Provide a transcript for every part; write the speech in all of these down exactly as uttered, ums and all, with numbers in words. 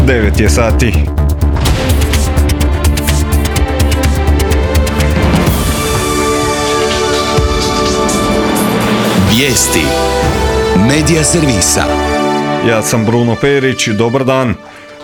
devet je sati. Vijesti Medija servisa. Ja sam Bruno Perić, dobar dan.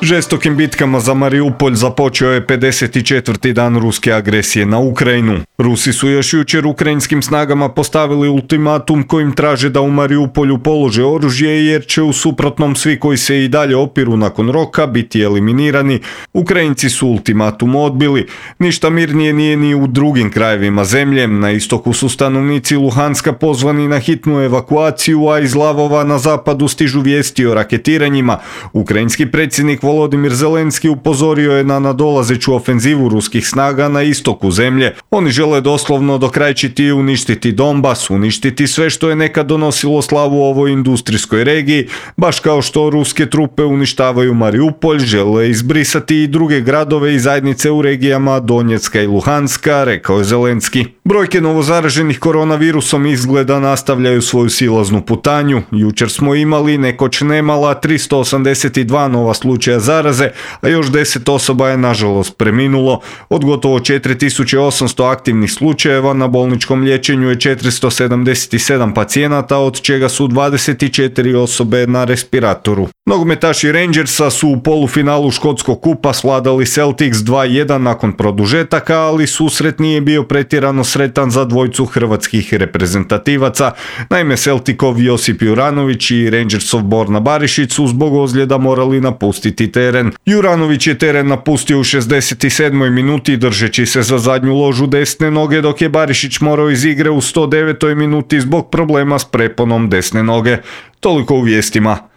Žestokim bitkama za Mariupolj započeo je pedeset četvrti dan ruske agresije na Ukrajinu. Rusi su još jučer ukrajinskim snagama postavili ultimatum kojim traže da u Mariupolju polože oružje jer će u suprotnom svi koji se i dalje opiru nakon roka biti eliminirani. Ukrajinci su ultimatum odbili. Ništa mirnije nije ni u drugim krajevima zemlje. Na istoku su stanovnici Luhanska pozvani na hitnu evakuaciju, a iz Lavova na zapadu stižu vijesti o raketiranjima. Ukrajinski predsjednik Volodimir Zelenski upozorio je na nadolazeću ofenzivu ruskih snaga na istoku zemlje. Oni žele doslovno dokrajčiti i uništiti Donbas, uništiti sve što je nekad donosilo slavu ovoj industrijskoj regiji, baš kao što ruske trupe uništavaju Mariupolj, žele izbrisati i druge gradove i zajednice u regijama Donjecka i Luhanska, rekao je Zelenski. Brojke novozaraženih koronavirusom izgleda nastavljaju svoju silaznu putanju. Jučer smo imali nekoć nemala tristo osamdeset dva nova slučaja zaraze, a još deset osoba je nažalost preminulo. Od gotovo četiri tisuće osamsto aktivnih slučajeva na bolničkom liječenju je četiristo sedamdeset sedam pacijenata, od čega su dvadeset četiri osobe na respiratoru. Nogometaši Rangersa su u polufinalu škotskog kupa svladali Celtics dva jedan nakon produžetaka, ali susret nije bio pretjerano sretan za dvojcu hrvatskih reprezentativaca. Naime, Celticov Josip Juranović i Rangersov Borna Barišić su zbog ozljeda morali napustiti teren. Juranović je teren napustio u šezdeset sedmoj minuti držeći se za zadnju ložu desne noge, dok je Barišić morao iz igre u sto devetoj minuti zbog problema s preponom desne noge. Toliko u vijestima.